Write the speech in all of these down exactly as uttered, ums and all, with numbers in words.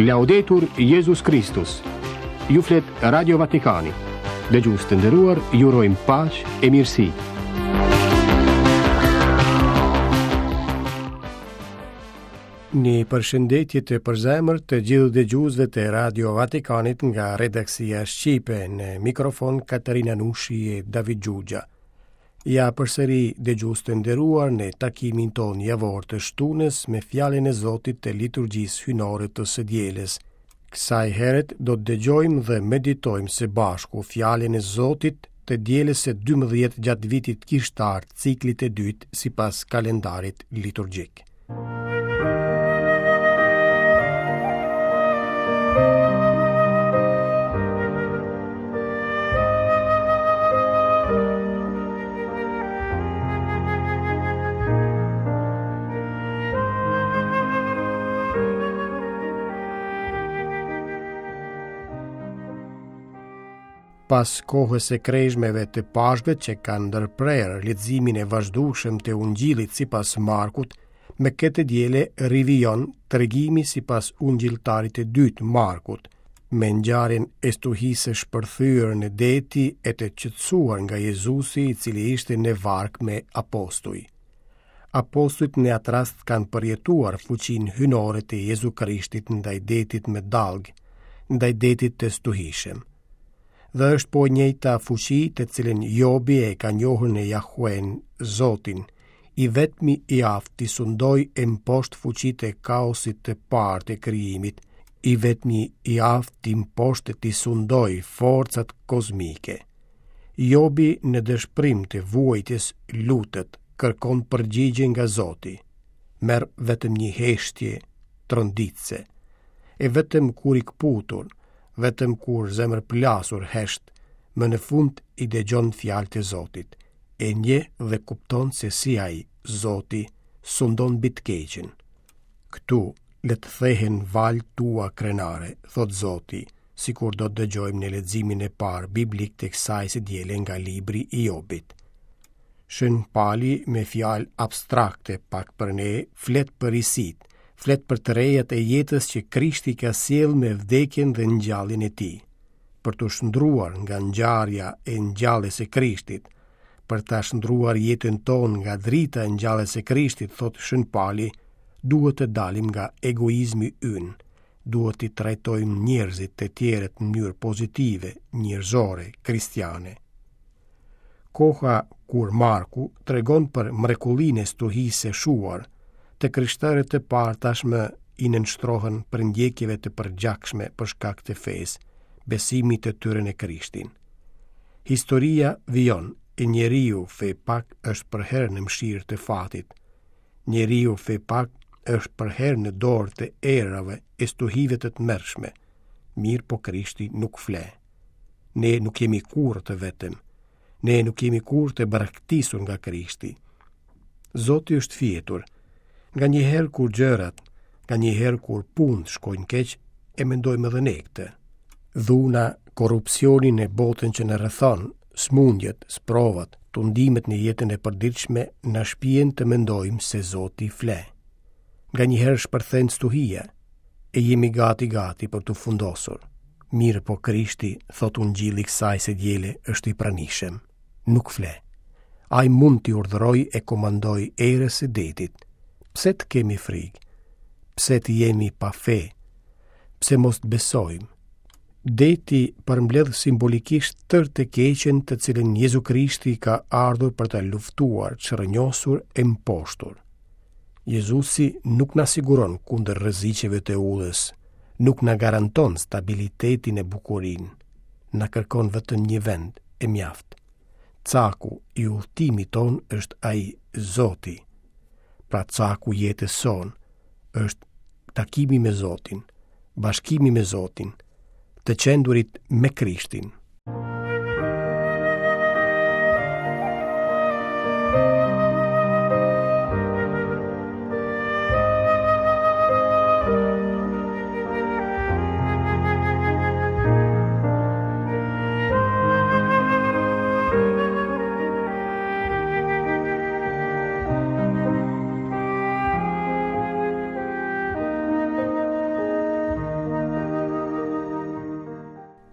Laudetur Jezus Kristus. Ju flet Radio Vatikani. Dëgjues të nderuar, ju urojmë paqe e mirësi. Një përshëndetje të përzemërt të gjithë dëgjuesve të Radio Vatikanit nga redaksia shqipe në mikrofon Katerina Nushi e David Xhuxha. Ja përsëri dëgjues të nderuar në takimin tonë javor të shtunës me fjalën e Zotit të liturgjisë hyjnore të së dielës. Kësaj here do të dëgjojmë dhe meditojmë së bashku fjalën e Zotit të dielës së dymbëdhjetë gjatë vitit kishtar ciklit të dytë sipas kalendarit liturgjik. Pas kohës së kreshmeve të Pashkëve që kanë ndërprerë leximin e vazhdueshëm të Ungjillit sipas Markut, me këtë diele rivijon tregimi sipas ungjilltarit të dytë Markut, me ngjarjen e stuhisë së shpërthyer në deti e të qetësuar nga Jezusi i cili ishte në varkë me apostuj. Apostujt në atë rast kanë përjetuar fuqinë hyjnore të Jezu Krishtit ndaj detit me dallgë, ndaj detit të stuhishëm. Dhe është po e njëjta fuqi të cilën Jobi e ka njohur në Jahuen, Zotin, i vetmi i aftë t'i sundojë e mposhtë fuqitë e kaosit të parë të krijimit, i vetmi i aftë t'i mposhtë e t'i sundojë forcat kozmike. Jobi në dëshpërim të vuajtjes lutet, kërkon përgjigje nga Zoti. Merr vetëm një heshtje tronditëse. E vetëm kur i këputur, vetëm kur zemërplasur hesht, më në fund i dëgjon fjalët e Zotit, e njeh dhe kupton se si ai, Zoti, sundon mbi të keqen. Këtu le të thehen valët tua krenare, thotë Zoti, sikur do të dëgjojmë në leximin e parë biblik të kësaj së diele nga libri i Jobit. Shën Pali me fjalë abstrakte pak për ne, flet për risitë, flet për të rejat e jetës që Krishti ka sjellë me vdekjen dhe ngjalljen e tij. Për t'u shndruar nga ngjarja e ngjalljes së Krishtit, për ta shndruar jetën tonë nga drita e ngjalljes së Krishtit, thotë Shën Pali, duhet të dalim nga egoizmi ynë, duhet t'i trajtojmë njerëzit të tjerët në mënyrë pozitive, njerëzore, kristiane. Koha kur Marku tregon për mrekullinë e stuhisë së shuar, të krishterët të parë tashmë i nënshtrohen përndjekjeve të përgjakshme për shkak të fesë, besimit të tyre në Krishtin. Historia vijon, e njeriu fepak është përherë në mëshirë të fatit. Njeriu fepak është përherë në dorë të erave e stuhive të tmerrshme. Mirëpo Krishti nuk fle. Ne nuk jemi kurrë të vetëm. Ne nuk jemi kurrë të braktisur nga Krishti. Zoti është fjetur. Nganjëherë kur gjërat, nganjëherë kur punët shkojnë keq, e mendojmë edhe ne këtë. Dhuna, korrupsioni në botën që na rrethon, smundjet, sprovat, tundimet në jetën e përditshme na shpien të mendojmë se Zoti fle. Nganjëherë shpërthen stuhia, e jemi gati gati për t'u fundosur. Mirëpo Krishti, thotë Ungjilli kësaj së diele, është i pranishëm. Nuk fle. Ai mund t'i urdhërojë e komandojë erës së detit. Pse të kemi frikë? Pse të jemi pa fe? Pse mos të besojmë? Deti përmbledh simbolikisht tërë të keqen të cilën Jezu Krishti ka ardhur për ta luftuar, çrrënjosur e mposhtur. Jezusi nuk na siguron kundër rreziqeve të udhës, nuk na garanton stabilitetin e bukurinë, na kërkon vetëm një vend e mjaft. Caku i udhëtimit tonë është ai Zoti. Pra caku i jetës sonë është takimi me Zotin, bashkimi me Zotin, të qendurit me Krishtin.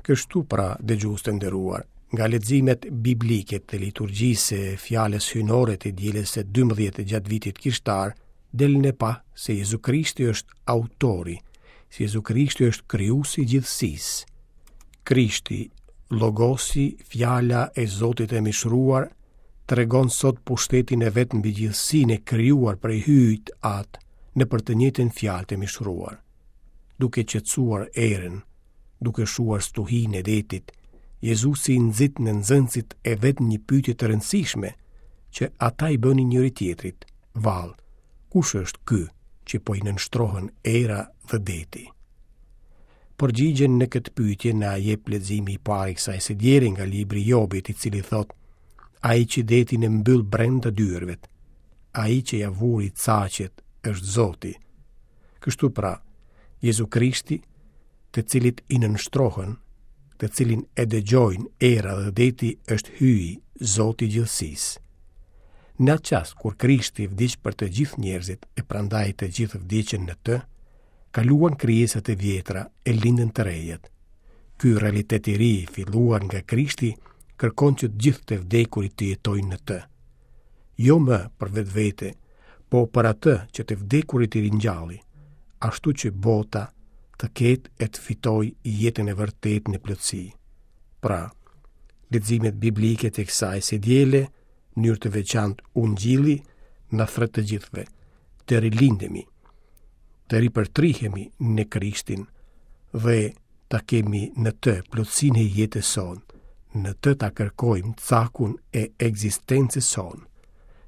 Kështu pra, dëgjues të nderuar, nga leximet biblike të liturgjisë së fjalës hyjnore të dielës së dymbëdhjetë gjatë vitit kishtar, del në pah se Jezu Krishti është autori, se Jezu Krishti është krijuesi i gjithësisë. Krishti, Logosi, fjala e Zotit e mishëruar, tregon sot pushtetin e vet mbi gjithësinë e krijuar prej Hyjit Atë nëpër të njëjtën fjalë të mishëruar, duke qetësuar erën, duke shuar stuhinë e detit. Jezusi nxit në nxënësit e vet një pyetje të rëndësishme që ata i bënin njëri-tjetrit: Vallë, kush është ky që po i nënshtrohen era dhe deti? Përgjigjen në këtë pyetje na jep leximi i parë i kësaj së diele nga libri i Jobit, i cili thotë: Ai që detin e mbyll brenda dyerve, ai që ia vuri caqet është Zoti. Kështu pra, Jezu Krishti, të cilit i nënshtrohen, të cilin e dëgjojnë era dhe deti, është Hyji, Zoti i gjithësisë. Në atë çast kur Krishti vdiq për të gjithë njerëzit e prandaj të gjithë vdiqën në të, kaluan krijesat e vjetra e lindën të rejat. Ky realitet i ri i filluar nga Krishti kërkon që të gjithë të vdekurit të jetojnë në të. Jo më për vetvete, po për atë që të vdekurit i ringjalli, ashtu që bota të ketë e të fitojë jetën e vërtetë në plotësi. Pra, leximet biblike të kësaj së diele, në mënyrë të veçantë Ungjilli, na thërret të gjithëve të rilindemi, të ripërtrihemi në Krishtin dhe ta kemi në të plotësinë e jetës sonë, në të ta kërkojmë cakun e ekzistencës sonë.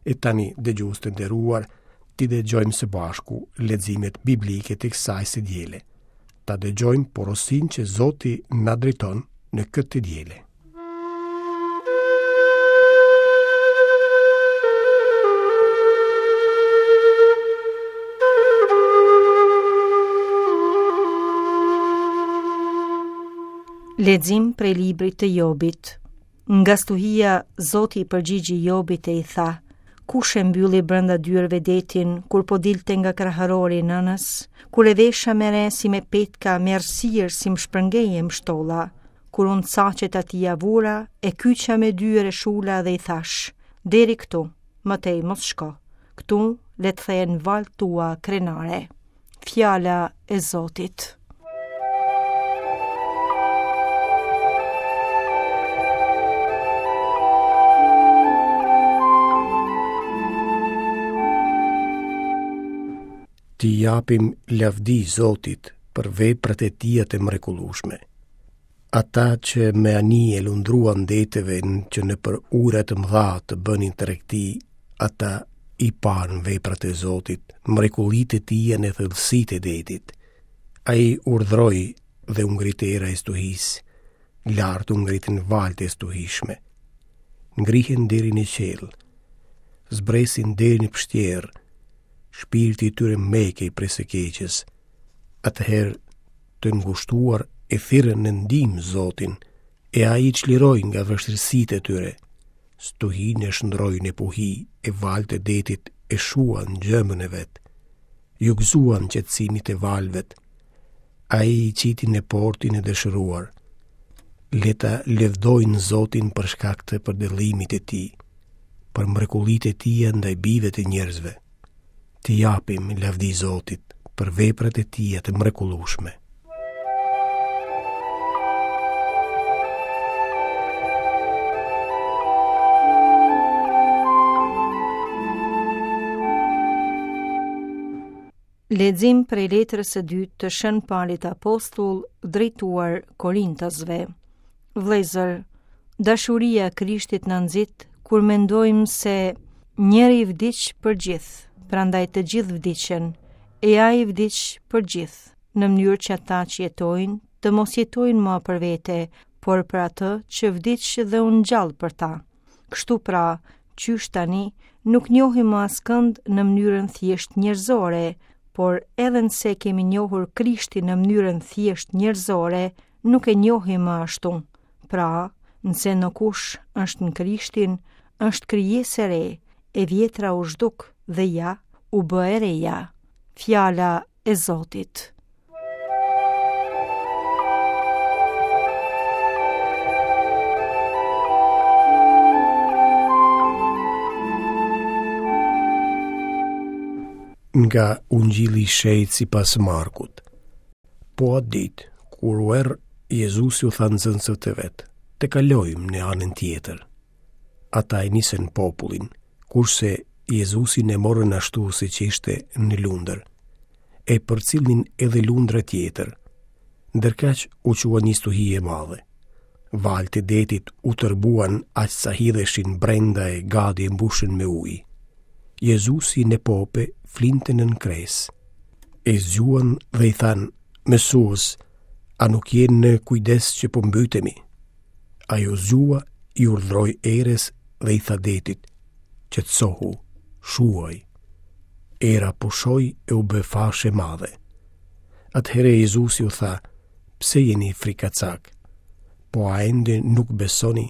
E tani, dëgjues të nderuar, t'i dëgjojmë së bashku leximet biblike të kësaj së diele. Ta dëgjojmë porosinë që Zoti na drejton në këtë të diele. Lexim prej librit të Jobit. Nga stuhia, Zoti i përgjigji Jobit e i tha: Kush e mbylli brenda dyerve detin, kur po dilte nga kraharori i nënës, kur e vesha me re si me petka, me errësirë si më shpërngej e mbështolla, kur unë caqet atij ia vura, e kyça me dyer e shula dhe i thash: Deri këtu, më tej mos shko, këtu le të thehen valët tua krenare. Fjala e Zotit. T'i japim lavdi Zotit për veprat e tija të mrekullueshme. Ata që me anije lundruan deteve që nëpër ujëra të mëdha të bënin tregti, ata i panë veprat e Zotit, mrekullitë e tija në thellësitë e detit. Ai urdhëroi dhe u ngrit era e stuhisë, lart u ngritën valët e stuhishme. Ngrihen deri në qiell, zbresin deri në pështjerë, shpirti i tyre mekej prej së keqes. Atëherë të ngushtuar e thirrën në ndihmë Zotin, e ai i çliroi nga vështirësitë e tyre. Stuhinë e shndërroi në puhi, e valët e detit e shuan gjëmën e vet. Iu gëzuan qetësimit e valëve. Ai i qiti në portin e dëshiruar. Le ta lëvdojnë Zotin për shkak të përdëllimit të tij, për mrekullitë e tija ndaj bijve të njerëzve. T'i japim lavdi Zotit për veprat e tija të mrekullueshme. Lexim prej letrës së dytë të Shën Palit Apostull drejtuar Korintasve. Vëllezër, dashuria e Krishtit na nxit kur mendojmë se njëri vdiq për gjithë, prandaj të gjithë vdiqën, e ai vdiq për gjithë, në mënyrë që ata që jetojnë të mos jetojnë më për vete, por për atë që vdiq dhe u ngjall për ta. Kështu pra, qysh tani, nuk njohim më askënd në mënyrën thjesht njerëzore, por edhe nëse kemi njohur Krishtin në mënyrën thjesht njerëzore, nuk e njohim më ashtu. Pra, nëse në kush është në Krishtin, është krijesë e re, e vjetra u zhduk dhe ja, u bë e reja. Fjala e Zotit. Nga Ungjilli i Shenjtë sipas Markut. Po atë ditë, kur u err, Jezusi u tha nxënësve të vet, të kalojmë në anën tjetër. Ata e nisën popullin, kurse Jezusin e morën ashtu siç ishte në lundër. E përcillnin edhe lundra tjetër. Ndërkaq u çua një stuhi e madhe. Valët e detit u tërbuan aq sa hidheshin brenda e gati e mbushën me ujë. Jezusi në pope flinte nën kresë. E zgjuan dhe i thanë, Mësues, a nuk je në kujdes që po mbytemi? Ai u zgjua, i urdhëroi erës dhe i tha detit, qetësohu, shuaj. Era pushoi e u bë fashë e madhe. Atëherë Jezusi u tha, pse jeni frikacak? Po a ende nuk besoni?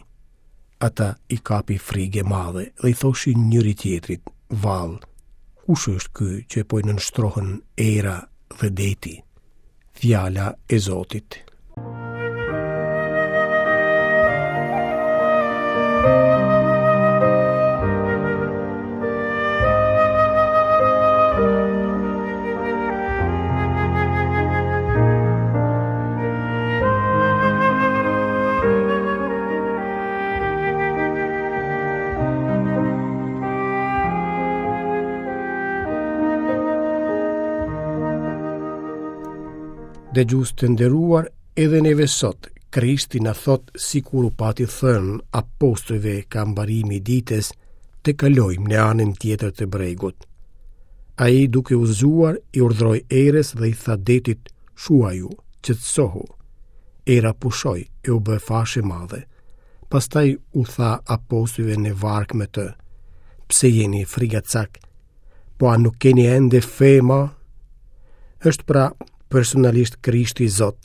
Ata i kapi frigë e madhe dhe i thoshin njëri tjetrit, vallë, kush është ky që po i nënshtrohen era dhe deti? Fjala e Zotit. Dëgjues të nderuar, edhe neve sot, Krishti na thotë sikur u pati thënë apostujve ka mbarimi i ditës, të kalojmë në anën tjetër të bregut. Ai duke u zgjuar, i urdhëroi erës dhe i tha detit, shuaju, qetësohu. Era pushoi e u bë fashë e madhe. Pastaj u tha apostujve në varkë me të, pse jeni frigacak? Po a nuk keni ende fe ma? Është pra personalisht Krishti Zot,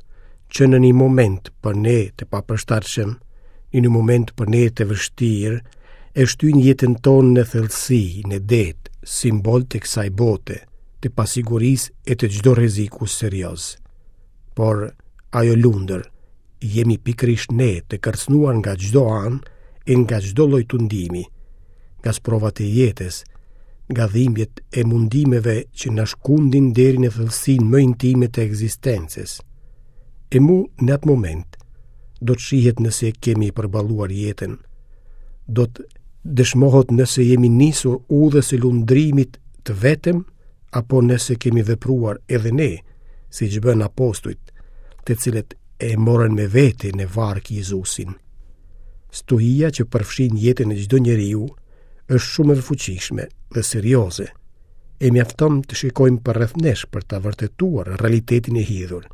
që në një moment për ne të papërshtatshëm, në një moment për ne të vështirë, e shtyn jetën tonë në thellësi, në det, simbol të kësaj bote, të pasigurisë e të çdo rreziku serioz. Por ajo lundër, jemi pikërisht ne të kërcënuar nga çdo anë e nga çdo lloj tundimi, nga sprovat e jetës, nga dhimbjet e mundimeve që na shkundin deri në thellësinë më intime të ekzistencës. E mu në atë moment do të shihet nëse kemi përballuar jetën, do të dëshmohet nëse jemi nisur udhës së lundrimit të vetëm apo nëse kemi vepruar edhe ne, siç bën apostujt, të cilët e morën me vete në varkë Jezusin. Stuhia që përfshin jetën e çdo njeriu është shumë e fuqishme dhe serioze. E mjafton të shikojmë përreth nesh për ta vërtetuar realitetin e hidhur.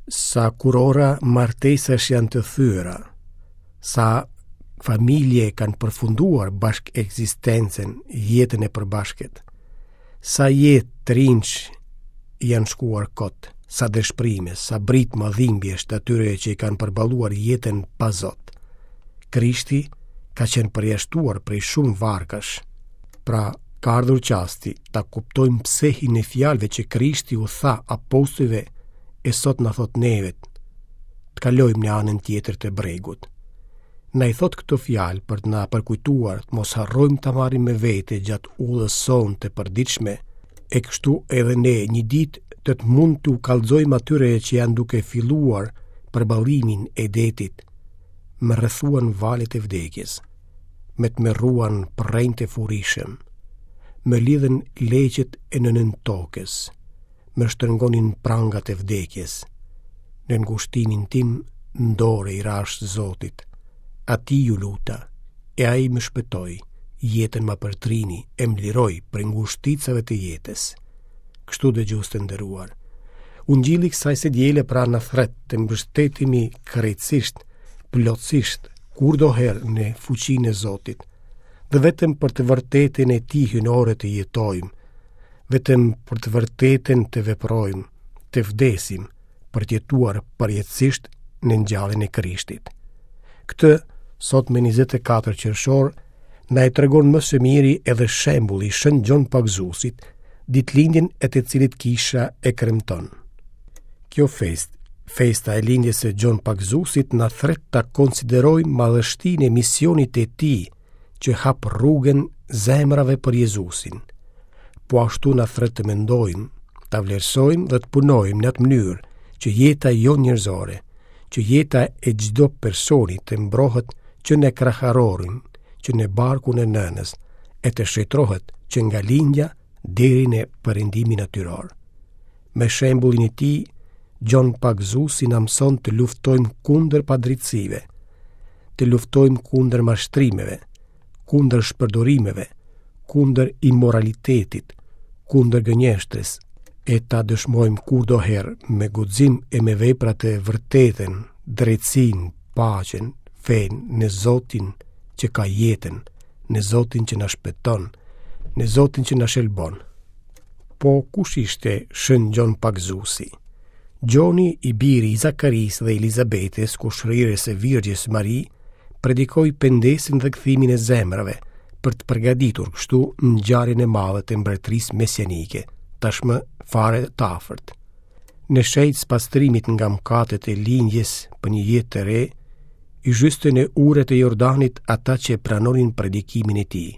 Sa kurora martesash janë të thyera, sa familje kanë përfunduar bashkë ekzistencën, jetën e përbashkët, sa jetë të rinjsh janë shkuar kot, sa dëshpërime, sa britma dhimbjesh të atyre që i kanë përballuar jetën pa Zot. Krishti ka qenë përjashtuar prej shumë varkash. Pra, ka ardhur çasti ta kuptojmë psehin e fjalëve që Krishti u tha apostujve e sot na thot nevet, të kalojmë në anën tjetër të bregut. Na i thot këto fjalë për të na përkujtuar të mos harrojmë ta marrim me vete gjatë udhës sonë të përditshme, e kështu edhe ne një ditë të të mund t'u kallxojmë atyre që janë duke filluar përballimin e detit. Më rrethuan valët e vdekjes, më tmerruan përrenjtë e furishëm, më lidhën leqet e nënën tokës, më shtrëngonin prangat e vdekjes. Në ngushtinin tim ndore i rash Zotit, atij iu luta, e ai më shpëtoi, jetën ma përtrini e më liroi prej ngushticave të jetës. Kështu dëgjues të nderuar, Ungjilli kësaj së diele pra na thret të mbështetemi krejtësisht, plotësisht, kurdoherë në fuqinë e Zotit, dhe vetëm për të vërtetën e tij hyjnore të jetojmë, vetëm për të vërtetën të veprojmë, të vdesim, për të jetuar përjetësisht në ngjalljen e Krishtit. Këtë, sot me njëzet e katër qershor, na e tregon më së miri edhe shembulli i Shën Gjon Pagëzuesit, ditëlindjen e të cilit kisha e kremton. Kjo festë, festa e lindjes së Gjon Pagëzuesit, na thret ta konsiderojmë madhështinë e misionit të tij që hap rrugën zemrave për Jezusin. Po ashtu na thërret të mendojmë, ta vlerësojmë dhe të punojmë në atë mënyrë që jeta jonë njerëzore, që jeta e çdo personi të mbrohet që në kraharorin, që në barkun e nënës, e të shenjtërohet që nga lindja deri në perëndimin natyror. Me shembullin e tij, Gjon Pagëzuesi na mëson të luftojmë kundër padrejtësive, të luftojmë kundër mashtrimeve, kundër shpërdorimeve, kundër imoralitetit, kundër gënjeshtrës, e ta dëshmojmë kurdoherë me guxim e me vepra të vërtetën, drejtësinë, paqen, fenë në Zotin që ka jetën, në Zotin që na shpëton, në Zotin që na shëlbon. Po kush ishte Shën Gjon Pagëzuesi? Gjoni, i biri i Zakarisë dhe Elizabetës, kushërirës së Virgjës Mari, predikoi pendesën dhe kthimin e zemrave për të përgatitur kështu ngjarjen e madhe të mbretërisë mesianike, tashmë fare të afërt. Në shenjë të spastrimit nga mëkatet e lindjes për një jetë të re, i zhyste në ujërat e Jordanit ata që pranonin predikimin e tij,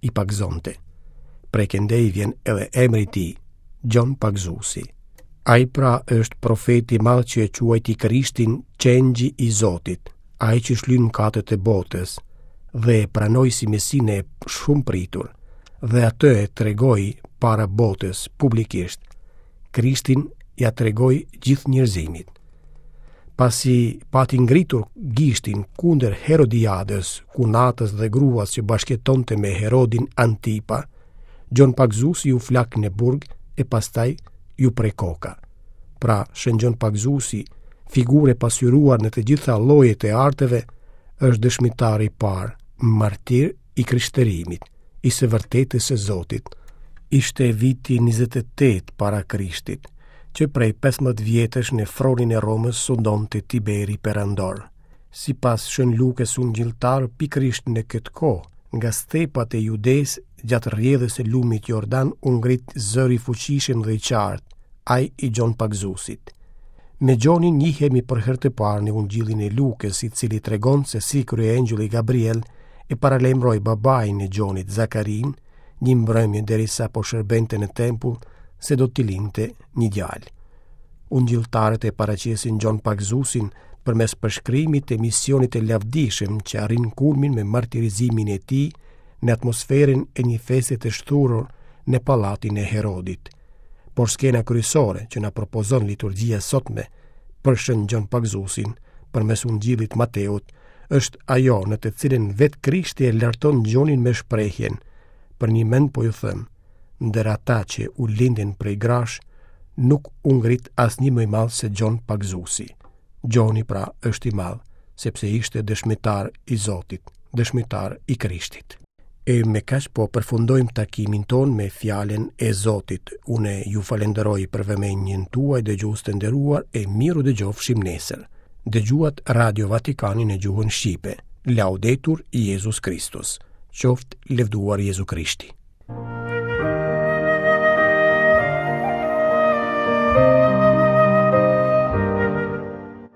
i pagëzonte. Prej këndej vjen edhe emri i tij, Gjon Pagëzuesi. Ai pra është profeti i madh që e quajti Krishtin qengji i Zotit, ai që shlyn mëkatet e botës, dhe e pranoi si Mesinë e shumëpritur, dhe atë e tregoi para botës publikisht. Krishtin ia tregoi gjithë njerëzimit. Pasi pati ngritur gishtin kundër Herodiadës, kunatës dhe gruas që bashkëjetonte me Herodin Antipa, Gjon Pagëzuesi u flak në burg e pastaj iu pre koka. Pra, Shën Gjon Pagëzuesi, figurë e pasqyruar në të gjitha llojet e arteve, është dëshmitari i parë, martir i krishterimit, i së vërtetës së Zotit. Ishte viti njëzet e tetë para Krishtit, që prej pesëmbëdhjetë vjetësh në fronin e Romës sundonte Tiberi Perandor. Sipas Shën Lukës Ungjilltar, pikërisht në këtë kohë, nga stepat e Judesë, gjatë rrjedhës së lumit Jordan u ngrit zëri i fuqishëm dhe i qartë, ai i Gjon Pagëzuesit. Me Gjonin njihemi për herë të parë në Ungjillin e Lukës, i cili tregon se si kryeangjëlli Gabriel e paralajmëroi babain e Gjonit, Zakarin, një mbrëmje derisa po shërbente në tempull se do t'i lindte një djalë. Ungjilltarët e paraqesin Gjon Pagëzuesin përmes përshkrimit të misionit të lavdishëm që arrin kulmin me martirizimin e tij në atmosferën e një feste të shthurur në pallatin e Herodit. Por skena kryesore që na propozon liturgjia sotme për Shën Gjon Pagëzuesin përmes Ungjillit Mateut është ajo në të cilën vetë Krishti e larton Gjonin me shprehjen: Përnjëmend po ju them, ndër ata që u lindën prej grash, nuk u ngrit asnjë më i madh se Gjon Pagëzuesi. Gjoni pra është i madh, sepse ishte dëshmitar i Zotit, dëshmitar i Krishtit. E me kaq po përfundojmë takimin tonë me fjalën e Zotit. Unë ju falenderoj për vëmendjen tuaj, dëgjues të nderuar, e miru dëgjofshim nesër. Dëgjuat Radio Vatikanin në gjuhën shqipe. Laudetur Jezus Kristus. Qoftë lëvduar Jezu Krishti.